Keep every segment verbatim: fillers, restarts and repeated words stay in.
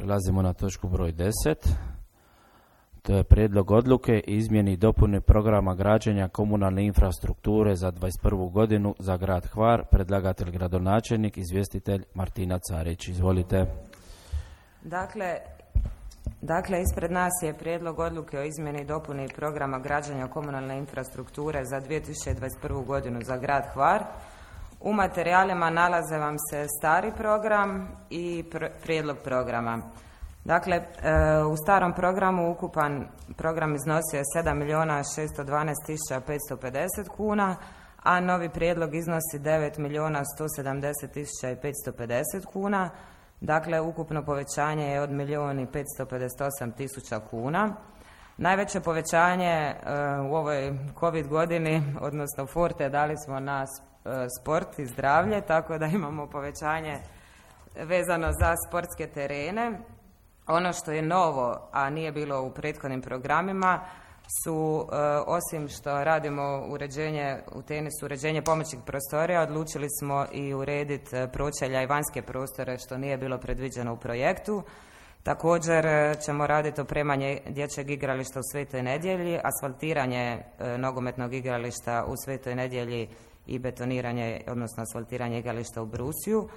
Prelazimo na točku broj deset. To je prijedlog odluke i izmjeni i dopuni programa građenja komunalne infrastrukture za dvadeset prvu godinu za grad Hvar. Predlagatelj gradonačelnik, izvjestitelj Martina Carić. Izvolite. Dakle, dakle, ispred nas je prijedlog odluke o izmjeni i dopuni programa građenja komunalne infrastrukture za dvije tisuće dvadeset prvu godinu za grad Hvar. U materijalima nalaze vam se stari program i pr- prijedlog programa. Dakle, e, u starom programu ukupan program iznosio je sedam milijuna šesto dvanaest tisuća petsto pedeset kuna, a novi prijedlog iznosi devet milijuna sto sedamdeset tisuća petsto pedeset kuna. Dakle, ukupno povećanje je od milijun i petsto pedeset osam tisuća kuna. Najveće povećanje e, u ovoj COVID godini, odnosno forte, dali smo na e, sport i zdravlje, tako da imamo povećanje vezano za sportske terene. Ono što je novo, a nije bilo u prethodnim programima, su e, osim što radimo uređenje u tenisu, uređenje pomoćnih prostorija, odlučili smo i urediti pročelja i vanjske prostore, što nije bilo predviđeno u projektu. Također ćemo raditi opremanje dječjeg igrališta u Svetoj Nedjelji, asfaltiranje e, nogometnog igrališta u Svetoj Nedjelji i betoniranje, odnosno asfaltiranje igrališta u Brusiju,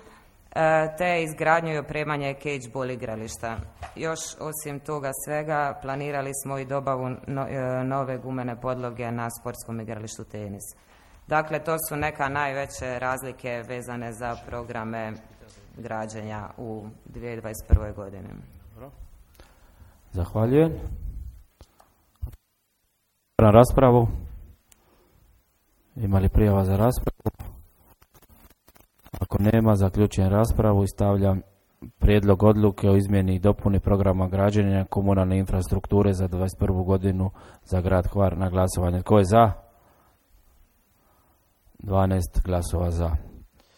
e, te izgradnju i opremanje cage-ball igrališta. Još osim toga svega planirali smo i dobavu no, e, nove gumene podloge na sportskom igralištu tenis. Dakle, to su neka najveće razlike vezane za programe građenja u dvije tisuće dvadeset prvoj godini. Zahvaljujem. Na raspravu. Ima li prijava za raspravu? Ako nema, zaključujem raspravu i stavljam prijedlog odluke o izmjeni i dopuni programa građenja komunalne infrastrukture za dvadeset prvu godinu za grad Hvar na glasovanje. Tko je za? dvanaest glasova za.